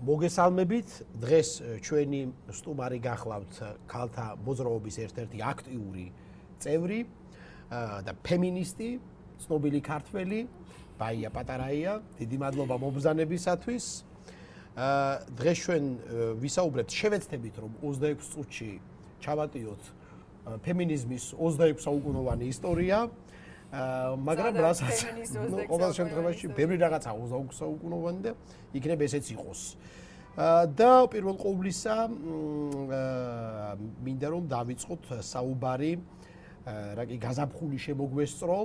მოგესალმებით, დღეს ჩვენი სტუმარი გახლავთ ქალთა მოძრაობის ერთ-ერთი აქტიური წევრი და ფემინისტი, ცნობილი ქართველი, ბაია პატარაია, დიდი მადლობა მობრძანებისათვის. დღეს ჩვენ ვისაუბრებთ, შევეცდებით რომ 26 წუთში ჩავატიოთ ფემინიზმის 26 საუკუნოვანი ისტორია. მაგრამ რასაც ყოველ შემთხვევაში ბევრი რაღაცა 26 საუკუნოვანი და იქნებ ესეც იყოს. და პირველ ყოვლისა მინდა რომ დავიწყოთ საუბარი რა კი გაზაფხული შემოგვესწრო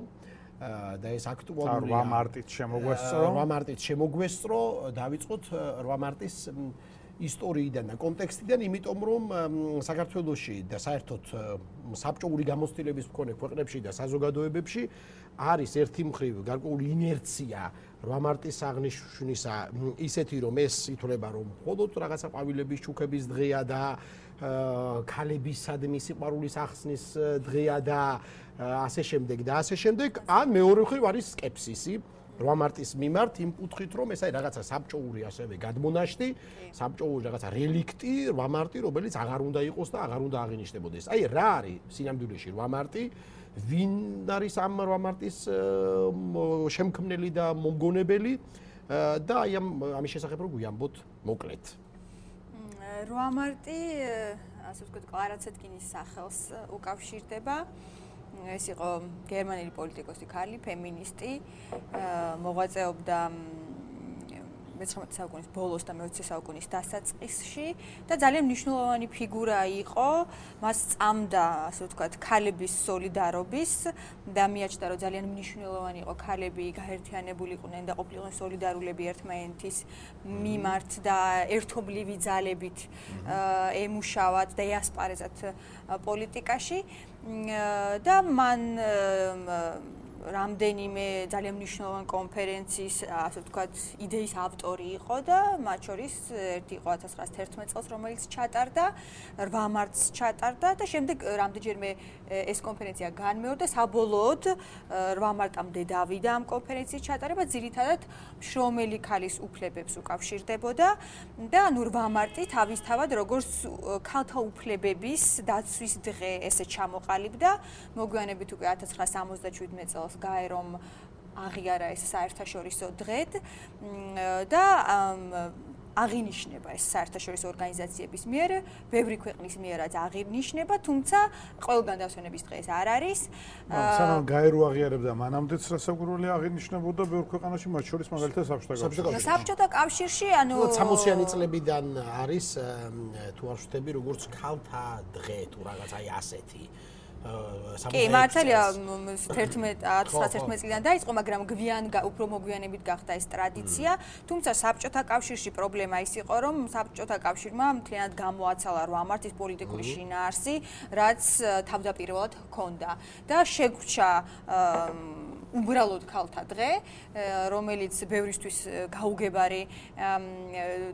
და ეს აქტუალურია 8 მარტით შემოგვესწრო. 8 მარტით შემოგვესწრო, დავიწყოთ 8 მარტის ისტორიიდან და კონტექსტიდან, იმიტომ რომ საქართველოში და საერთოდ საბჭოური გამოცდილების მქონე ქვეყნებში და საზოგადოებებში არის ერთი მხრივ გარკვეული ინერცია 8 მარტის აღნიშვნისა ისეთი, რომ ეს ითვლება, რომ მხოლოდ რაღაცა ყვავილების ჩუქების დღეა და ქალებისადმი სიყვარულის ახსნის დღეა და ასე შემდეგ და ასე შემდეგ, ან მეორე მხრივ არის სკეპსისი 8 მარტის მიმართ იმ კუთხით, რომ ეს არის რაღაცა საბჭოური ასევე გადმონაშთი, საბჭოური რაღაცა რელიქტი 8 მარტი, რომელიც აღარ უნდა იყოს და აღარ უნდა აღინიშნებოდეს. აი რა არის სინამდვილეში 8 მარტი? ვინ არის ამ 8 მარტის შემქმნელი და მომგონებელი და აი ამის შესახებ რო გვიამბოთ მოკლედ. 8 მარტი, ასე ვთქვათ, კლარა ცეტკინის სახელს უკავშირდება. ეს იყო გერმანელი პოლიტიკოსი ქალი, ფემინისტი, მოღვაწეობდა 19 საუკუნის ბოლოს და მე-20 საუკუნის დასაწყისში და ძალიან მნიშვნელოვანი ფიგურა იყო. მას წამდა, ასე ვთქვათ, ქალების სოლიდარობის და მიაჩნდა, რომ ძალიან მნიშვნელოვანი იყო ქალები გაერთიანებულიყვნენ და ყოფილიყვნენ სოლიდარულები ერთმანეთის მიმართ და ერთობლივი ძალებით ემუშავათ და ეასპარეზათ პოლიტიკაში. და მან რამდენიმე ძალიან მნიშვნელოვანი კონფერენციის, ასე ვთქვათ, იდეის ავტორი იყო და მათ შორის ერთი იყო 1911 წელს, რომელიც ჩატარდა, 8 მარტს ჩატარდა და შემდეგ რამდენჯერმე ეს კონფერენცია განმეორდა, საბოლოოდ 8 მარტამდე დავიდა ამ კონფერენციის ჩატარება, ძირითადად შრომელი ქალის უფლებებს უკავშირდებოდა და ანუ 8 მარტი თავისთავად როგორც ქალთა უფლებების დაცვის დღე ესე ჩამოყალიბდა, მოგვიანებით უკვე 1977 წელს გაერომ აღიარა ეს საერთაშორისო დღედ და აღინიშნება ეს საერთაშორისო ორგანიზაციების მიერ, ბევრი ქვეყნის მიერაც აღინიშნება, თუმცა ყველგან დასვენების დღე ეს არ არის. სანამ გაერო აღიარებდა, მანამდეც რასაკვირველი აღინიშნებოდა ბევრ ქვეყანაში, მათ შორის მაგალითად საბჭოთა კავშირში, ანუ 60-იანი წლებიდან არის თუ არ ვშთები, როგორც ქალთა დღე თუ რაღაც აი ასეთი. კი, მართალია 1911 წლიდან დაიწყო, მაგრამ უფრო მოგვიანებით გახდა ეს ტრადიცია. თუმცა საბჭოთა კავშირში პრობლემა ის იყო, რომ საბჭოთა კავშირმა მთლიანად გამოაცალა 8 მარტის პოლიტიკური შინაარსი, რაც თავდაპირველად ჰქონდა და შეგვრჩა უბრალოდ ქალთა დღე, რომელიც ბევრისთვის გაუგებარი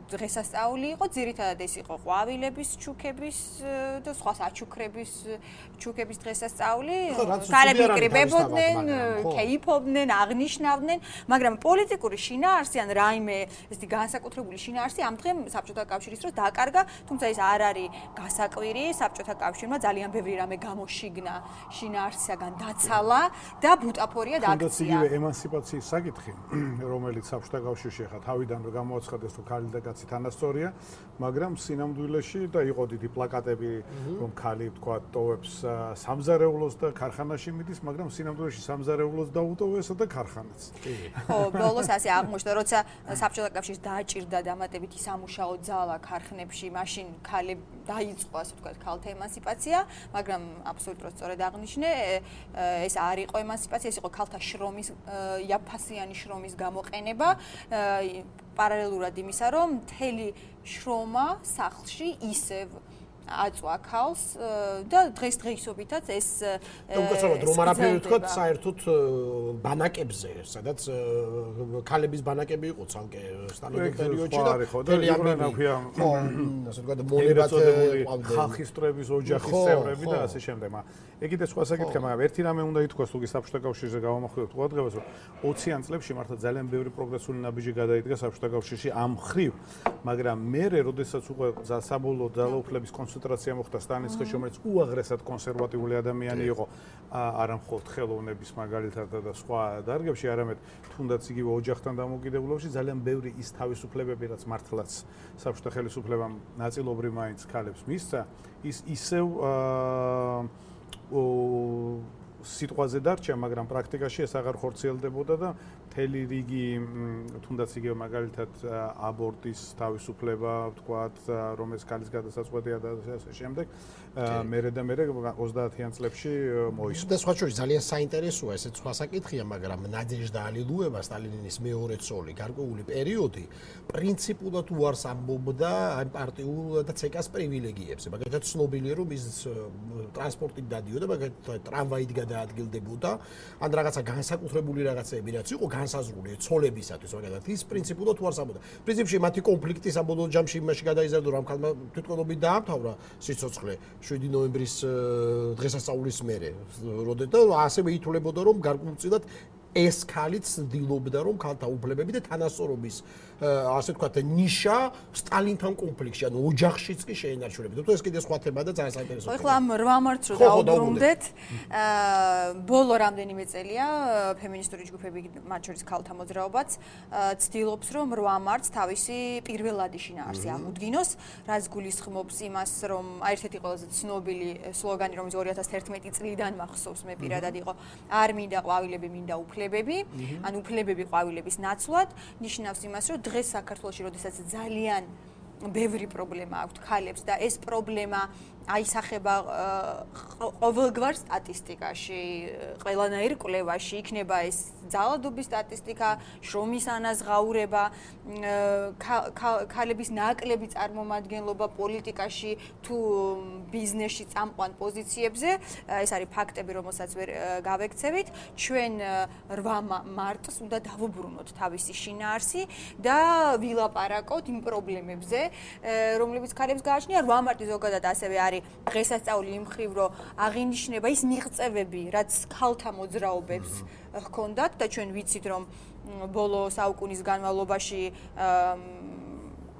დღესასწაული იყო. ძირითადად ეს იყო ყვავილების ჩუქების და სხვა საჩუქრების ჩუქების დღესასწაული. ქალები იკრიბებოდნენ, კეიფობდნენ, აღნიშნავდნენ, მაგრამ პოლიტიკური შინაარსი ან რაიმე ესეთი განსაკუთრებული შინაარსი ამ დღემ საბჭოთა კავშირის დროს დაკარგა, თუმცა ეს არ არის გასაკვირი. საბჭოთა კავშირმა ძალიან ბევრი რამე გამოშიგნა შინაარსისაგან დაცალა და ბუტაფორია თუნდაც იგივე ემანსიპაციის საკითხი, რომელიც საბჭოთა კავშირში ახლა თავიდან გამოაცხადეს, რომ ქალი და კაცი თანასწორია, მაგრამ სინამდვილეში და იყო დიდი პლაკატები, რომ ქალი თქვა ტოვებს სამზარეულოს და ქარხანაში მიდის, მაგრამ სინამდვილეში სამზარეულოს დაუტოვესა და ქარხანაც. ხო, ბოლოს ასე აღმოჩნდა, როცა საბჭოთა კავშირს დააჭირდა დამატებითი სამუშაო ძალა ქარხნებში, მაშინ ქალები დაიწყო, ასე ვთქვათ, ქალთა ემანსიპაცია, მაგრამ აბსოლუტურად სწორედ აღნიშნე, ეს არ იყო ემანსიპაცია, ეს იყო ქალთა შრომის, იაფფასიანი შრომის გამოყენება, პარალელურად იმისა, რომ მთელი შრომა სახლში ისევ აწვა ქალს და დღესდღეობითაც ეს უკაცრავად რომ არაფერი ვთქვათ საერთოდ ბანაკებზე, სადაც ქალების ბანაკები იყო ცალკე სტალინის პერიოდში და მთელი ამბებია, ასე ვთქვათ, მონებათებული ხალხის წრეების ოჯახის წევრები და ასე შემდეგ. ეგ კიდე სხვა საკითხია, მაგრამ ერთი რამე უნდა ითქვას, თუ კი საბჭოთა კავშირზე გავამახვილებთ ყურადღებას, რომ 20-იან წლებში მართლა ძალიან ბევრი პროგრესული ნაბიჯი გადაიდგა საბჭოთა კავშირში ამ მხრივ, მაგრამ მერე როდესაც უკვე საბოლოო ძალაუფლების კონცენტრაცია მოხდა სტალინის ხელში, რომელიც უაღრესად კონსერვატიული ადამიანი იყო, არა მხოლოდ ხელოვნების მაგალითად და სხვა დარგებში, არამედ თუნდაც იგივე ოჯახთან დამოკიდებულებაში ძალიან ბევრი ის თავისუფლებები, რაც მართლაც საბჭოთა ხელისუფლებამ ნაწილობრივ მაინც ქალებს მისცა, ის ისევ სიტყვაზე დარჩა, მაგრამ პრაქტიკაში ეს აღარ ხორციელდებოდა და მთელი რიგი თუნდაც იგივე მაგალითად აბორტის თავისუფლება, ვთქვათ, რომელიც ქალის გადასაწყვეტია და ასე შემდეგ, მერე 30-იან წლებში მოისურვა. და სხვა შორის ძალიან საინტერესოა, ესეც სხვა საკითხია, მაგრამ ნადეჟდა ალილუევა, სტალინის მეორე ცოლი, გარკვეული პერიოდი პრინციპულად უარს ამბობდა ამ პარტიულ და ცეკას პრივილეგიებზე. მაგალითად, ცნობილია, რომ ის ტრანსპორტით დადიოდა, მაგალითად, ტრამვაით გადაადგილდებოდა, ან რაღაცა განსაკუთრებული რაღაცები რაც იყო განსაზღვრული ცოლებისათვის, მაგალითად, ის პრინციპულად უარს ამბობდა. პრინციპში მათი კონფლიქტი საბოლოო ჯამში იმაში გადაიზარდა, რომ ამ ქალმა თვითმკვლელობით დაამთავრა სიცოცხლე 7 ნოემბრის დღესასწაულის მერე, როდესაც ასევე ითვლებოდა, რომ გარკვეულწილად ეს ქალიც ცდილობდა, რომ ქალთა უფლებები და თანასწორობის ასე ვთქვათ, ნიშა სტალინთან კონფლიქტში, ანუ ოჯახშიც კი შეენარჩუნებოდა. თუ ეს კიდე სხვა თემაა და ძალიან საინტერესოა. ხო, ამ 8 მარტს რო დაუბრუნდეთ, ბოლო რამდენიმე წელია ფემინისტური ჯგუფები, მათ შორის ქალთა მოძრაობაც, ცდილობს, რომ 8 მარტს თავისი პირველადი შინაარსი აღუდგინოს, რაც გულისხმობს იმას, რომ ერთ-ერთი ყველაზე ცნობილი სლოგანი, რომელიც 2011 წლიდან მახსოვს, მე პირადად იყო, არ მინდა ყვავილები, მინდა უფლებები, ან უფლებები ყვავილების ნაცვლად, ნიშნავს იმას, რომ დღეს საქართველოში, როდესაც ძალიან ბევრი პრობლემა აქვს ქალებს და ეს პრობლემა აისახება ყოველგვარ სტატისტიკაში, ყველანაირ კვლევაში, იქნება ეს ძალადობის სტატისტიკა, შრომის ანაზღაურება, ქალების ნაკლები წარმომადგენლობა პოლიტიკაში თუ ბიზნესში წამყვან პოზიციებზე, ეს არის ფაქტები, რომელსაც ვერ გავექცევით. ჩვენ 8 მარტს უნდა დავუბრუნოთ თავისი შინაარსი და ვილაპარაკოთ იმ პრობლემებზე, რომლებიც ქალებს გააჩნია. 8 მარტი ზოგადად ასევე არის დღესასწაული იმ მხრივ, რომ აღინიშნება ის მიღწევები, რაც ქალთა მოძრაობებს ჰქონდათ და ჩვენ ვიცით, რომ ბოლო საუკუნის განმავლობაში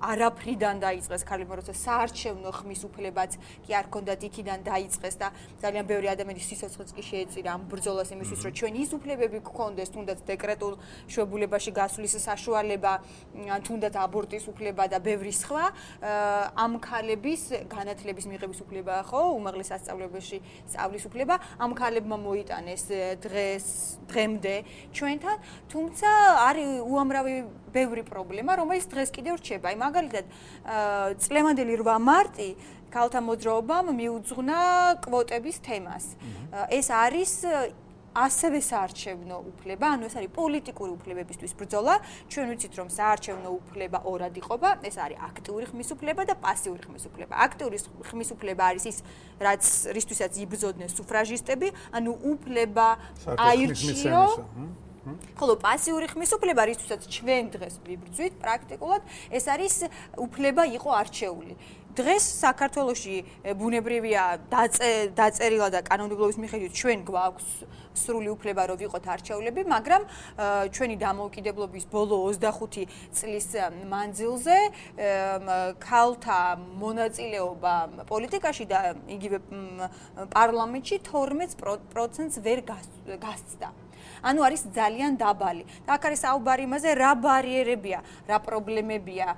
არაფრიდან დაიწყეს ქალებმა, როცა საარჩევნო ხმის უფლებაც კი არ ჰქონდათ, იქიდან დაიწყეს და ძალიან ბევრი ადამიანის სიცოცხლეც კი შეეწირა ამ ბრძოლას იმისთვის, რომ ჩვენ ის უფლებები გქონდეს, თუნდაც დეკრეტულ შვებულებაში გასვლის საშუალება, თუნდაც აბორტის უფლება და ბევრი სხვა, ამ ქალების განათლების მიღების უფლება, ხო, უმაღლეს სასწავლებელში სწავლის უფლება, ამ ქალებმა მოიტანეს დღემდე ჩვენთან, თუმცა არის უამრავი ბევრი პრობლემა, რომელიც დღეს კიდევ რჩება. აი მაგალითად, წლევანდელი 8 მარტი ქალთა მოძრაობამ მიუძღვნა კვოტების თემას. ეს არის ასევე საარჩევნო უფლება, ანუ ეს არის პოლიტიკური უფლებებისთვის ბრძოლა. ჩვენ ვიცით, რომ საარჩევნო უფლება ორად იყოფა, ეს არის აქტიური ხმის უფლება და პასიური ხმის უფლება. აქტიური ხმის უფლება არის ის, რაც რისთვისაც იბრძოდნენ სუფრაჟისტები, ანუ უფლება აირჩიო. ხოლო პასიური ხმის უფლება, რისთვისაც ჩვენ დღეს ვიბრძვით, პრაქტიკულად ეს არის უფლება იყო არჩეული. დღეს საქართველოში ბუნებრივია დაწერილა და კანონმდებლობის მიხედვით ჩვენ გვაქვს სრული უფლება, რომ ვიყოთ არჩეულები, მაგრამ ჩვენი დამოუკიდებლობის ბოლო 25 წლის მანძილზე ქალთა მონაწილეობა პოლიტიკაში და იგივე პარლამენტში 12%-ს ვერ გასცდა. ანუ არის ძალიან დაბალი. და აქ არის საუბარი იმაზე, რა ბარიერებია, რა პრობლემებია,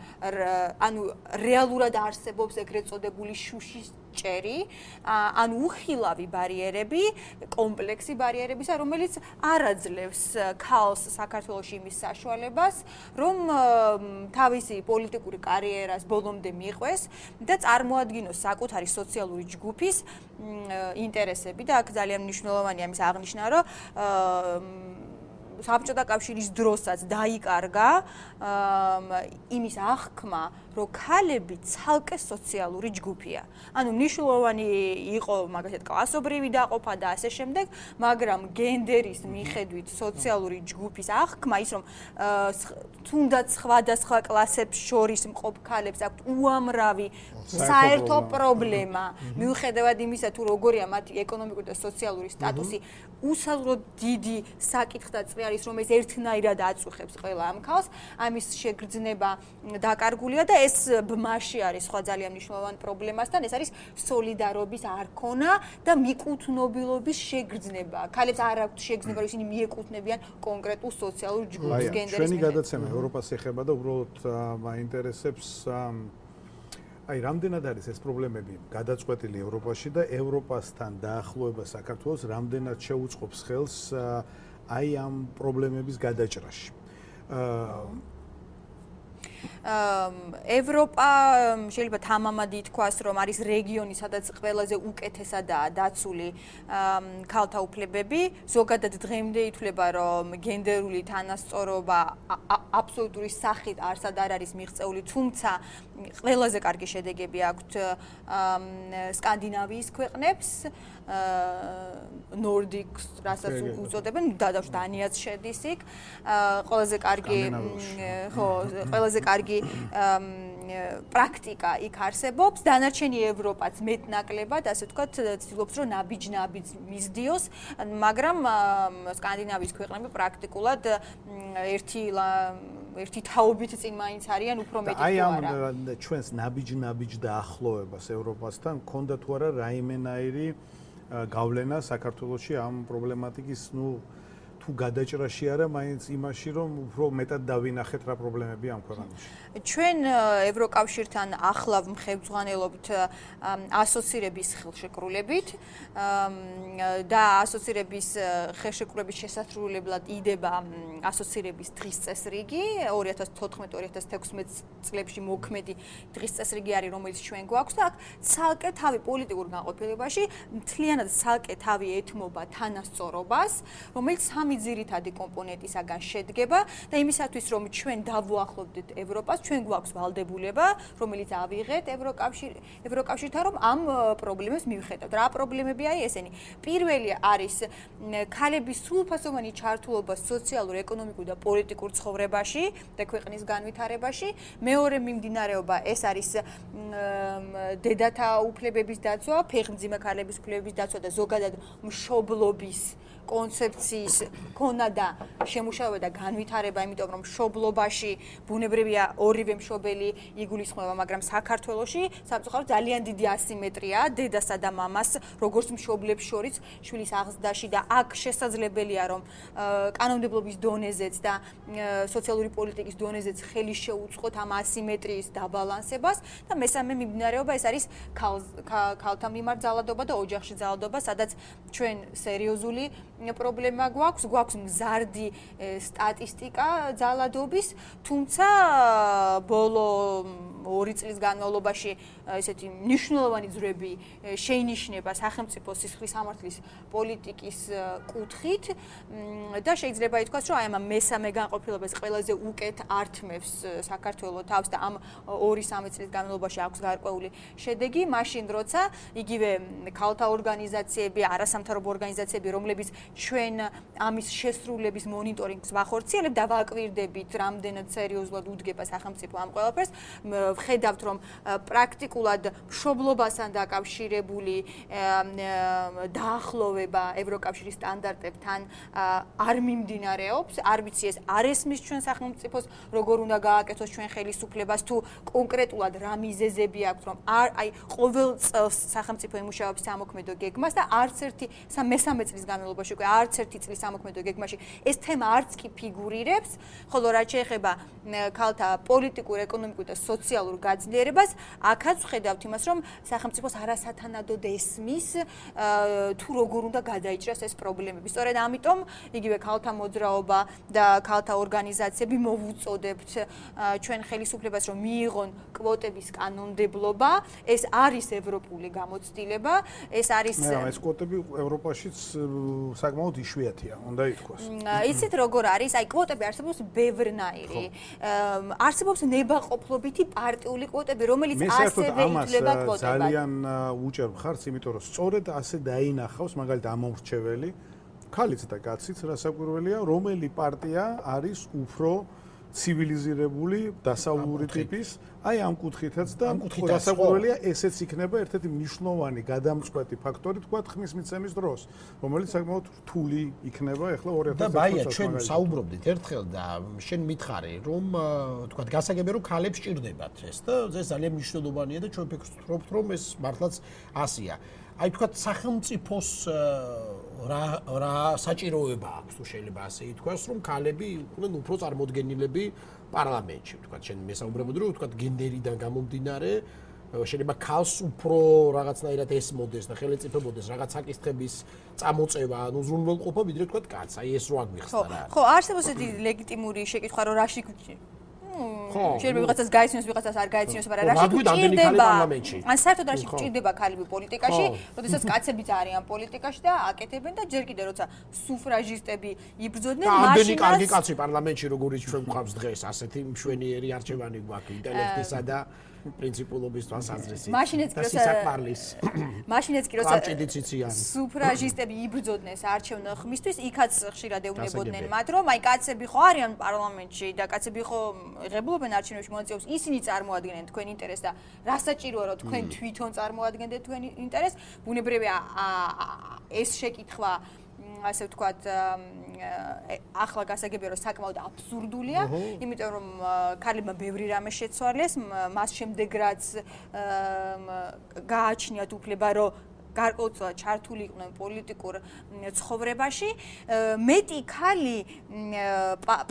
ანუ რეალურად არსებობს ეგრეთ წოდებული შუშის ჭერი, ანუ უხილავი ბარიერები, კომპლექსი ბარიერებისა, რომელიც არ აძლევს ქალს საქართველოში იმის საშუალებას, რომ თავისი პოლიტიკური კარიერას ბოლომდე მიყვეს და წარმოადგინოს საკუთარი სოციალური ჯგუფის ინტერესები და აქ ძალიან მნიშვნელოვანია ამის აღნიშვნა, რომ საბჭოთა კავშირის დროსაც დაიკარგა იმის აღქმა, რომ ქალები ცალკე სოციალური ჯგუფია. ანუ მნიშვნელოვანი იყო მაგალითად კლასობრივი დაყოფა და ასე შემდეგ, მაგრამ გენდერის მიხედვით სოციალური ჯგუფის აღქმა, ის რომ თუნდაც სხვადასხვა კლასებს შორის მყოფ ქალებს აქვთ უამრავი საერთო პრობლემა, მიუხედავად იმისა, თუ როგორია მათი ეკონომიკური და სოციალური სტატუსი, უსაზღვროდ დიდი საკითხი და წვიარი არის, რომელიც ერთნაირად აწუხებს ყველა ამ ქალს, ამის შეგრძნება დაკარგულია და ეს ბმაში არის სხვა ძალიან მნიშვნელოვანი პრობლემასთან, ეს არის სოლიდარობის არქონა და მიკუთნობილობის შეგრძნება. ქალებს არ აქვთ შეგრძნება, რომ ისინი მიეკუთვნებიან კონკრეტულ სოციალურ ჯგუფს, გენდერის ჩვენი გადაცემა ევროპას ეხება და უბრალოდ მაინტერესებს აი რამდენად არის ეს პრობლემები გადაწყვეტილი ევროპაში და ევროპასთან დაახლოება საქართველოს რამდენად შეუწყობს ხელს აი ამ პრობლემების გადაჭრაში. ევროპა შეიძლება თამამად ითქვას, რომ არის რეგიონი, სადაც ყველაზე უკეთესადაა დაცული ქალთა უფლებები. ზოგადად დღემდე ითვლება, რომ გენდერული თანასწორობა აბსოლუტური სახით არსად არ არის მიღწეული, თუმცა ყველაზე კარგი შედეგები აქვთ სკანდინავიის ქვეყნებს, ნორდიკს, რასაც უწოდებენ, დანიაც შედის იქ. ყველაზე კარგი პრაქტიკა იქ არსებობს, დანარჩენი ევროპაც მეტნაკლებად, ასე ვთქვათ, ცდილობს, რომ ნაბიჯ-ნაბიჯ მისდიოს, მაგრამ სკანდინავიის ქვეყნები პრაქტიკულად ერთი თაობით წინ მაინც არიან უფრო მეტი თუ არა. აი ამ ჩვენს ნაბიჯ-ნაბიჯ დაახლოებას ევროპასთან გქონდა თუ არა რაიმენაირი გავლენა საქართველოში ამ პრობლემატიკის, თუ გადაჭრაში არა, მაინც იმაში, რომ უფრო მეტად დავინახეთ რა პრობლემებია ამ ქვეყანაში. ჩვენ ევროკავშირთან ახლავ მხევძღვანელობთ ასოცირების ხელშეკრულებით და ასოცირების ხელშეკრულების შესასრულებლად იდება ასოცირების დღის წესრიგი 2014-2016 წლებში მოქმედი დღის წესრიგი არის, რომელიც ჩვენ გვაქვს და აქ ცალკე თავი პოლიტიკურ განყოფილებაში მთლიანად ცალკე თავი ეთმობა თანასწორობას, რომელიც სამი ძირითადი კომპონენტისაგან შედგება და იმისათვის, რომ ჩვენ დავუახლოვდეთ ევროპას, ჩვენ გვაქვს ვალდებულება, რომელიც ავიღეთ ევროკავშირთან, რომ ამ პრობლემებს მივხედავთ. რა პრობლემებია ესენი? პირველი არის ქალების სრულფასოვანი ჩართულობა სოციალურ, ეკონომიკურ და პოლიტიკურ ცხოვრებაში და ქვეყნის განვითარებაში. მეორე მიმდინარეობა ეს არის დედათა უფლებების დაცვა, ფეხმძიმე ქალების უფლებების დაცვა და ზოგადად მშობლობის კონცეფციის ქონა და შემუშავება და განვითარება, იმიტომ რომ მშობლობაში ბუნებრივია ორივე მშობელი იგულისხმება, მაგრამ საქართველოში სამწუხაროდ ძალიან დიდი ასიმეტრიაა დედასა და მამას, როგორც მშობლებს შორის შვილის აღზრდაში და აქ შესაძლებელია, რომ კანონმდებლობის დონეზეც და სოციალური პოლიტიკის დონეზეც ხელი შეუწყოთ ამ ასიმეტრიის დაბალანსებას და მესამე მიმდინარეობა ეს არის ქალთა მიმართ ძალადობა და ოჯახში ძალადობა, სადაც ჩვენ სერიოზული პრობლემა გვაქვს მზარდი სტატისტიკა ძალადობის, თუმცა ბოლო 2 წლის განმავლობაში ესეთი მნიშვნელოვანი ძრები შეინიშნება სახელმწიფო სისხლის სამართლის პოლიტიკის კუთხით და შეიძლება ითქვას, რომ აი ამ მესამე განყოფილებას ყველაზე უკეთ ართმევს საქართველოს თავს და ამ 2-3 წლის განმავლობაში აქვს გარკვეული შედეგი, მაშინ როცა იგივე ქალთა ორგანიზაციები, არასამთავრობო ორგანიზაციები, რომლებიც ჩვენ ამის შესრულების მონიტორინგს ვახორციელებთ და ვაკვირდებით, რამდენად სერიოზულად უდგება სახელმწიფო ამ ყველაფერს, ვხედავთ, რომ პრაქტიკულად მშობლობასთან დაკავშირებული დაახლოვება ევროკავშირის სტანდარტებთან არ მიმდინარეობს, არ ვიცი ეს არ ესმის ჩვენ სახელმწიფოს, როგორ უნდა გააკეთოს ჩვენ ხელისუფლებას, თუ კონკრეტულად რა მიზეზები აქვს, რომ აი ყოველ წელს სახელმწიფო ემუშავებს სამოქმედო გეგმას და არც ერთი მესამე წლის განმავლობაში უკვე არც ერთი წლის სამოქმედო გეგმაში ეს თემა არც კი ფიგურირებს, ხოლო რაც შეეხება ქალთა პოლიტიკურ, ეკონომიკურ და სოციალურ გაძლიერებას, აქაც ვხედავთ იმას, რომ სახელმწიფოს არასათანადოდ ესმის თუ როგორ უნდა გადაიჭრას ეს პრობლემები. სწორედ ამიტომ იგივე ქალთა მოძრაობა და ქალთა ორგანიზაციები მოვუწოდებთ ჩვენ ხელისუფლებას, რომ მიიღონ კვოტების კანონმდებლობა. ეს არის ევროპული გამოცდილება, ეს არის ეს კვოტები ევროპაშიც საკმაოდ იშვიათია, უნდა ითქვას. იცით როგორ არის? აი კვოტები არსებობს ბევრნაირი. არსებობს ნებაყოფლობითი პარტიული კვოტები, რომელიც ასევე ითვლება კვოტებად. ძალიან უჭერ მხარს, იმიტომ რომ სწორედ ასე დაინახავს მაგალითად ამომრჩეველი ქალიც და კაციც, რასაკვირველია, რომელი პარტია არის უფრო ცივილიზირებული, დასავლური ტიპის, აი ამ კუთხითაც და გასაკვირველია ესეც იქნება ერთ-ერთი მნიშვნელოვანი გადამწყვეტი ფაქტორი თქვა ხმის მიცემის დროს, რომელიც საკმაოდ რთული იქნება ახლა 2019 წელს. და ბაია, ჩვენ საუბრობდით ერთხელ და შენ მითხარი, რომ თქვა გასაგებია რომ ქალებს ჭირდებათ ეს და ეს ძალიან მნიშვნელოვანია და ჩვენ ფიქრობთ რომ ეს მართლაც ასია. აი თქვა სახელმწიფოს რა საჭიროება აქვს თუ შეიძლება ასე ითქვას რომ ქალები იყვნენ უფრო წარმოდგენილები პარლამენტში თქვა შენ მესაუბრებოდი რომ თქვა გენდერიდან გამომდინარე შეიძლება ქალს უფრო რაღაცნაირად ესმოდეს და ხელეწიფებოდეს რაღაც საკითხების წამოწევა ან უზრუნველყოფა ვიდრე თქვა კაცს აი ეს რო აგვიხსნა რა ხო არსებობს ესეთი ლეგიტიმური შეკითხვა რომ რაში შეიძლება ვიღაცას გაიცნოს, ვიღაცას არ გაიცნოს, მაგრამ რაში გჭირდება? ან საერთოდ რაში გჭირდება ქალები პოლიტიკაში, როდესაც კაცებიც არიან პოლიტიკაში და აკეთებენ და ჯერ კიდევ როცა სუფრაჟისტები იბრძოდნენ, მაშინ ამდენი კარგი კაცი პარლამენტში როგორიც ჩვენ გვყავს დღეს, ასეთი მშვენიერი არჩევანი გვაქვს ინტელექტისა და პრინციპულობის თვალსაზრისით. მაშინაც კი როცა სუფრაჟისტები იბრძოდნენ საარჩევნო ხმისთვის, იქაც ხშირად ეუბნებოდნენ მათ, რომ აი კაცები ხო არიან პარლამენტში და კაცები ხო ღებულობენ არჩევნებში მონაწილეობას, ისინი წარმოადგენენ თქვენ ინტერესს და რა საჭიროა რომ თქვენ თვითონ წარმოადგენდეთ თქვენ ინტერესს, ბუნებრივია ეს შეკითხვა ასე ვთქვათ ახლა გასაგებია რომ საკმაოდ აბსურდულია, იმიტომ რომ ქალებმა ბევრი რამე შეცვალეს, მას შემდეგ რაც გააჩნიათ უფლება რომ გარკვეულწილად ჩართული იყვნენ პოლიტიკურ ცხოვრებაში, მეტი ქალი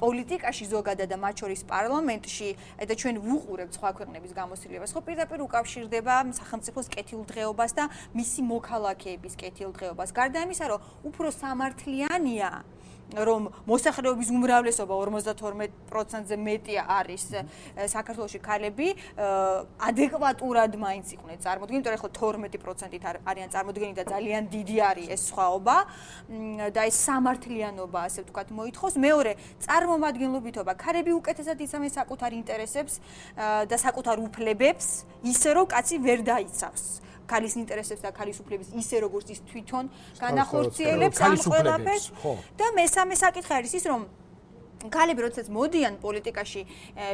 პოლიტიკაში ზოგადად და მათ შორის პარლამენტში და ჩვენ ვუყურებთ სხვა ქვეყნების გამოცდილებას, ხო პირდაპირ უკავშირდება სახელმწიფოს კეთილდღეობას და მისი მოქალაქეების კეთილდღეობას. გარდა იმისა, რომ უფრო სამართლიანია რომ მოსახლეობის უმრავლესობა 52%-ზე მეტი არის საქართველოში ქალები, ადეკვატურად მაინც იყვნენ წარმოდგენილი, იმიტომ რომ ახლა 12%-ით არიან წარმოდგენილი და ძალიან დიდი არის ეს სხვაობა და ეს სამართლიანობა, ასე ვთქვათ, მოითხოვს. მეორე, წარმომადგენლობითობა. ქალები უკეთესად იცავენ საკუთარ ინტერესებს და საკუთარ უფლებებს, ისე რომ კაცი ვერ დაიცავს. ქალის ინტერესებს და ქალის უფლების ისე როგორც ის თვითონ განახორციელებს ამ ყველაფერს და მესამე საკითხი არის ის რომ ქალები როდესაც მოდიან პოლიტიკაში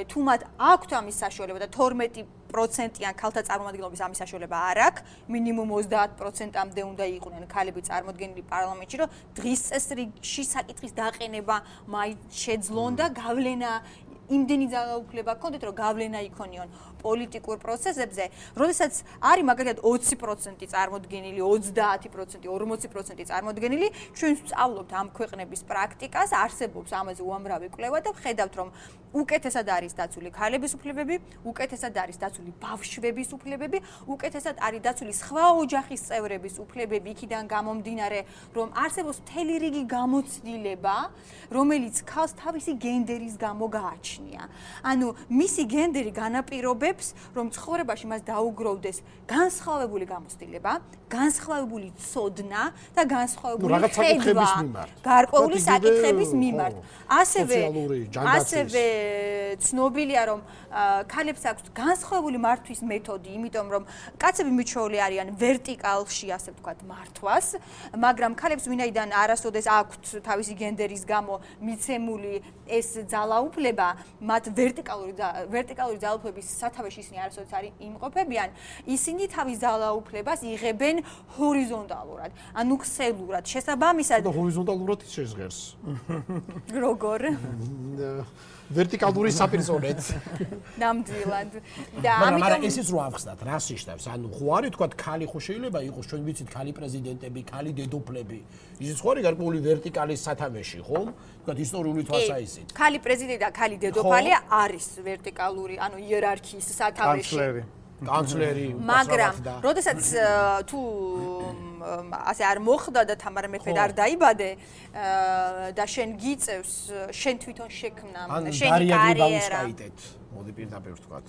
თუ მათ აქვთ ამის საშუალება და 12%-იან ქალთა წარმომადგენლობის ამის საშუალება არ აქვს, მინიმუმ 30%-ამდე უნდა იყვნენ ქალები წარმოდგენილი პარლამენტში, რომ დღის წესრიგში საკითხის დაყენება მაინც შეძლონ და გავლენა იმდენი ძალაუფლება გქონდეთ, რომ გავლენა იქონიონ პოლიტიკურ პროცესებზე, როდესაც არის მაგალითად 20% წარმოდგენილი, 30%, 40% წარმოდგენილი, ჩვენ ვსწავლობთ ამ ქვეყნების პრაქტიკას, არსებობს ამაზე უამრავი კვლევა და ვხედავთ, რომ უკეთესად არის დაცული ქალების უფლებები, უკეთესად არის დაცული ბავშვების უფლებები, უკეთესად არის დაცული სხვა ოჯახის წევრების უფლებები, იქიდან გამომდინარე, რომ არსებობს მთელი რიგი გამოცდილება, რომელიც ქალს თავისი გენდერის გამო გააჩნია. ანუ მისი გენდერი განაპირობებს, რომ ცხოვრებაში მას დაუგროვდეს განსხვავებული გამოცდილება, განსხვავებული ცოდნა და განსხვავებული ხედვა გარკვეული საკითხების მიმართ. ასევე ცნობილია, რომ ქალებს აქვს განსხვავებული მართვის მეთოდი, იმიტომ რომ კაცები მიჩვეული არიან ვერტიკალში, ასე ვთქვათ, მართვას, მაგრამ ქალებს ვინაიდან არასოდეს აქვთ თავისი გენდერის გამო მიცემული ეს ძალაუფლება, მათ ვერტიკალური ძალაუფლების სათავეში ისინი არასოდეს არ იმყოფებიან, ისინი თავის ძალაუფლებას იღებენ ჰორიზონტალურად, ანუ ქსელურად. შესაბამისად, ჰორიზონტალურად ის შეზღერს. როგორ? ვერტიკალური საპირისპიროდ. ნამდვილად. და მაგრამ ესეც რო ავხსნათ, რას ნიშნავს? ანუ ხო არის თქვა ქალი ხო შეიძლება იყოს, ჩვენ ვიცით ქალი პრეზიდენტები, ქალი დედოფლები. ისიც ხო არის გარკვეული ვერტიკალის სათავეში, ხო? თქვა ისტორიული თვალსაჩინო. ქალი პრეზიდენტი და ქალი დედოფალი არის ვერტიკალური, ანუ იერარქიის სათავეში. კანცლერი. მაგრამ, როდესაც თუ ასე არ მოხდა და თამარ მეფე არ დაიბადე და შენ გიწევს შენ თვითონ შექმნა შენი კარიერა მოდი პირდაპირ ვთქვათ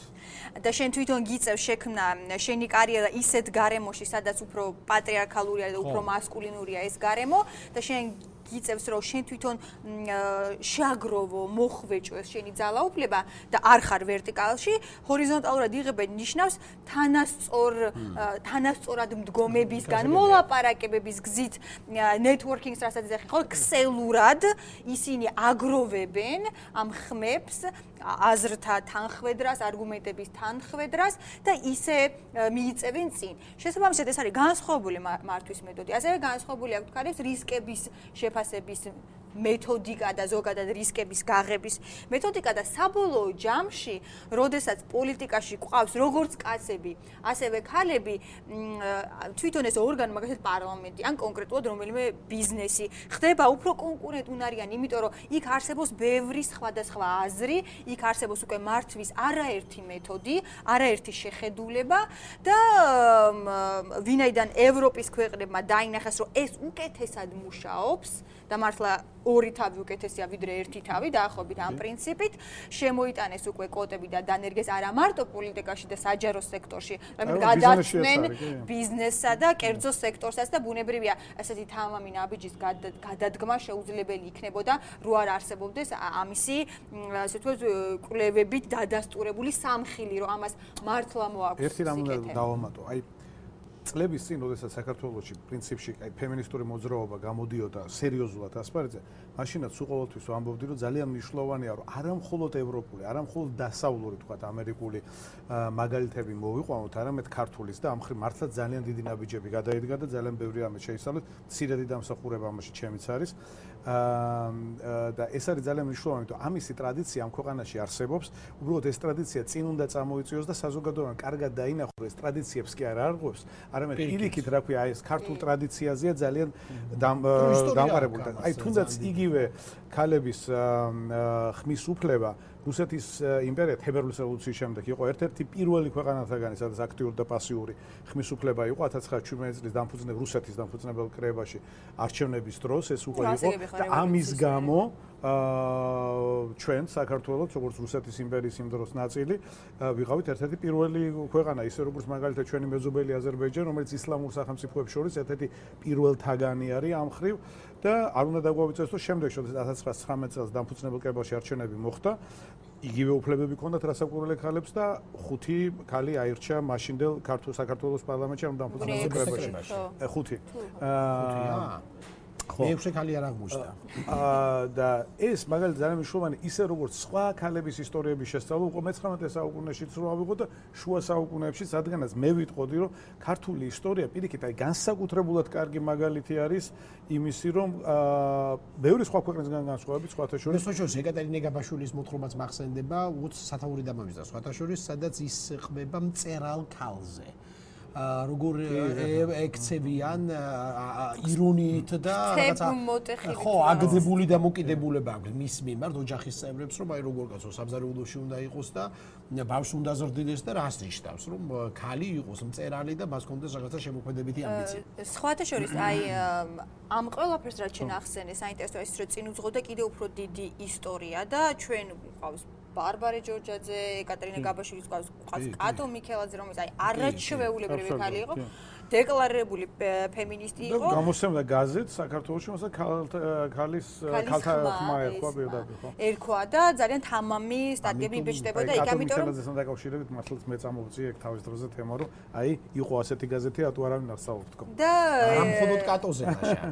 და შენ თვითონ გიწევს შექმნა შენი კარიერა ისეთ გარემოში სადაც უფრო პატრიარქალურია და უფრო მასკულინურია ეს გარემო და შენ გიწევს რომ შენ თვითონ შეაგროვო, მოხვეჭოს შენი ძალაუფლება და არ ხარ ვერტიკალში, ჰორიზონტალურად იღებენ ნიშნავს თანასწორად მდგომებისგან, მოლაპარაკებების გზით, networking-ს რასაც ეხება, ხო, ქსელურად ისინი აგროვებენ ამ ხმებს, აზრთა თანხwebdrას, არგუმენტების თანხwebdrას და ისე მიიწევენ წინ. შესაბამისად ეს არის განსხვავებული მართვის მეთოდი. ასევე განსხვავებული აქვს თქვა რისკების შეფასების მეთოდიკა და ზოგადად რისკების გაღების მეთოდიკა და საბოლოო ჯამში, როდესაც პოლიტიკაში გვყავს როგორც კაცები, ასევე ქალები, თვითონ ეს ორგანო, მაგალითად პარლამენტი, ან კონკრეტულად რომელიმე ბიზნესი, ხდება უფრო კონკურენტუნარიანი, იმიტომ რომ იქ არსებობს ბევრი სხვადასხვა აზრი, იქ არსებობს უკვე მართვის არაერთი მეთოდი, არაერთი შეხედულება და ვინაიდან ევროპის ქვეყნებმა დაინახეს, რომ ეს უკეთესად მუშაობს და მართლა ორი თავი უკეთესია ვიდრე ერთი თავი დაახლოებით ამ პრინციპით შემოიტანეს უკვე კოტები და დანერგეს არა მარტო პოლიტიკაში და საჯარო სექტორში, მაგრამ გადაწყვნენ ბიზნესსა და კერძო სექტორსაც და ბუნებრივია ესეთი თამამი ნაბიჯის გადადგმა შეუძლებელი იქნებოდა რო არ არსებობდეს ამისი ასე ვთქვათ კვლევებით დადასტურებული სამხილი რომ ამას მართლა მოაქვს ერთი რამ უნდა დავამატო აი წლების წინ, როდესაც საქართველოში პრინციპში ფემინისტური მოძრაობა გამოდიოდა სერიოზულად ასპარეზზე, მაშინაც უყოველთვის ვამბობდი, რომ ძალიან მნიშვნელოვანია, რომ არა მხოლოდ ევროპული, არა მხოლოდ დასავლური, თქვათ, ამერიკული მაგალითები მოვიყვანოთ, არამედ ქართulis და ამ ხრივ მართლაც ძალიან დიდი ნაბიჯები გადაიდგა და ძალიან ბევრი ამით შეისწავლეთ. მცირედი დამსახურება ამაში ჩემიც არის. და ეს არის ძალიან მნიშვნელოვანი, რომ ამისი ტრადიცია ამ ქვეყანაში არსებობს. უბრალოდ ეს ტრადიცია წინ უნდა წამოიწიოს და საზოგადოებამ კარგად დაინახოს, ეს ტრადიციებს კი არ არღვევს. არამედ პირიქით, რა ქვია, ეს ქართულ ტრადიციაზეა ძალიან დამყარებული და აი თუნდაც იგივე ქალების ხმის უფლება რუსეთის იმპერია თებერვლის რევოლუციის შემდეგ იყო ერთ-ერთი პირველი ქვეყანათაგანი, სადაც აქტიური და პასიური ხმის უფლება იყო 1917 წლის რუსეთის დამფუძნებელ კრებაში არჩევნების დროს ეს უკვე იყო და ამის გამო ჩვენ საქართველოს როგორც რუსეთის იმპერიის იმ დროს ნაწილი ვიყავით ერთ-ერთი პირველი ქვეყანა, ისე როგორც მაგალითად ჩვენი მეზობელი აზერბაიჯანი, რომელიც ისლამურ სახელმწიფოებს შორის ერთ-ერთი პირველთაგანი არის ამ ხრივ და არ უნდა დაგვავიწყოს, რომ შემდეგ 1919 წელს დამფუძნებელ კრებაში არჩევნები მოხდა, იგივე უფლებები ჰქონდათ რასაკვირველი ქალებს და 5 ქალი აირჩა მაშინდელ საქართველოს პარლამენტში ამ დამფუძნებელ კრებაში. 5. მე-6 ქალი არ აღმოჩნდა. და ეს მაგალითად ძალიან მნიშვნელოვანი, ისე როგორც სხვა ქალების ისტორიების შესწავლა უკვე მე-19 საუკუნეშიც რო ავიღო და შუა საუკუნეებში, რადგანაც მე ვიტყოდი, რომ ქართული ისტორია პირიქით აი განსაკუთრებულად კარგი მაგალითი არის იმისი, რომ ბევრი სხვა ქვეყნისგან განსხვავებით, სხვათა შორის ეკატერინე გაბაშვილის მოთხრობაც მახსენდება, უც სათაური დამამიზდა სხვათა შორის, სადაც ის ხმება მწერალ ქალზე. როგორ ექცევიან ირონიით და რაღაცა ხო აგდებული დამოკიდებულება აქვს მის მიმართ ოჯახის წევრებს რომ აი როგორ კაცო სამზარეულოში უნდა იყოს და ბავშვს უნდა ზრდილდეს და რას ნიშნავს რომ ქალი იყოს მწერალი და მას ჰქონდეს რაღაცა შემოქმედებითი ამბიცია. სხვათა შორის აი ამ ყველაფერს რაც შენ ახსენე საინტერესოა ის რომ წინ უძღოდა კიდევ უფრო დიდი ისტორია და ჩვენ გვყავს ბარბარე ჯორჯაძე, ეკატერინე გაბაშვილის გვყავს კატო მიქელაძე, რომელიც აი არაჩვეულებრივი ქალი იყო, დეკლარირებული ფემინისტი იყო. გამოსცემდა გაზეთს საქართველოში, მასა ქალთა ხმა ერქვა პირდაპირ, ხო? ერქვა და ძალიან თამამი სტატიები იბეჭდებოდა იქ, ამიტომ რომ მიქელაძესთან დაკავშირებით მართლაც მე წამოვწიე ეგ თავის დროზე თემა, რომ აი იყო ასეთი გაზეთი, რატო არავინ არ საუბრობს თქო. და ამ მხოლოდ კატოზე ნაშა.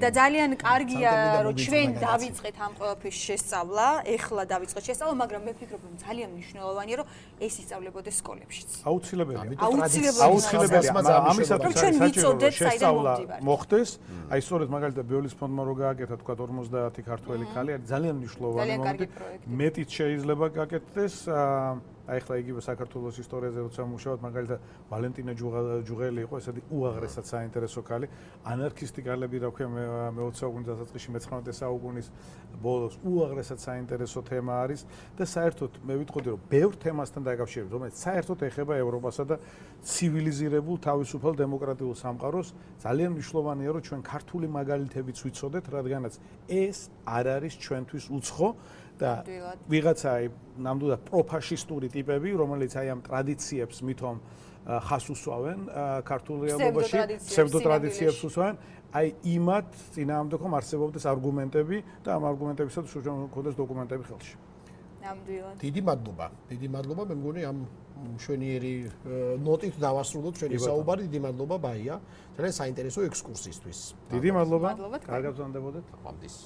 და ძალიან კარგია რომ ჩვენ დავიწყეთ ამ ყველაფრის შესწავლა, ეხლა დავიწყეთ შესწავლა, მაგრამ მე ვფიქრობ რომ ძალიან მნიშვნელოვანია რომ ეს ისწავლებოდეს სკოლებშიც. აუცილებელია. აუცილებელია. რომ ჩვენ ვიცოდეთ საიდან მომდივართ. მოხდეს, აი სწორედ მაგალითად ბიოლის ფონდმა რო გააკეთა თქვა 50 ქართველი ქალი არის ძალიან მნიშვნელოვანი მომენტი. მეტიც შეიძლება გაკეთდეს აი ხლა იგივე საქართველოს ისტორიაზე როცა მუშაობთ მაგალითად ვალენტინა ჯუღელი იყო ესეთი უაღრესად საინტერესო ქალი ანარქისტი ქალები რა ქვია მე-20 საუკუნის დასაწყისში მე-19 საუკუნის ბოლოს უაღრესად საინტერესო თემა არის და საერთოდ მე ვიტყოდი რომ ბევრ თემასთან დაკავშირებით რომელიც საერთოდ ეხება ევროპასა და ცივილიზირებულ თავისუფალ დემოკრატიულ სამყაროს ძალიან მნიშვნელოვანია რომ ჩვენ ქართული მაგალითებიც ვიცოდეთ რადგანაც ეს არ არის ჩვენთვის უცხო და ვიღაცა ნამდვილად პროფაშისტური ტიპები, რომელიც აი ამ ტრადიციებს მithom ხას უსვავენ ქართულ რეალობაში, ფსევდოტრადიციებს უსვავენ. აი იმათ წინააღმდეგ ხომ არსებობდეს არგუმენტები და ამ არგუმენტებისაც შეგვიძლია დოკუმენტები ხელში. ნამდვილად. დიდი მადლობა, მე მგონი ამ მშვენიერი ნოტით დავასრულოთ ჩვენი საუბარი. დიდი მადლობა ბაია. ძალიან საინტერესო ექსკურსიისთვის. დიდი მადლობა. კარგად ვზანდებოდეთ. ამდის.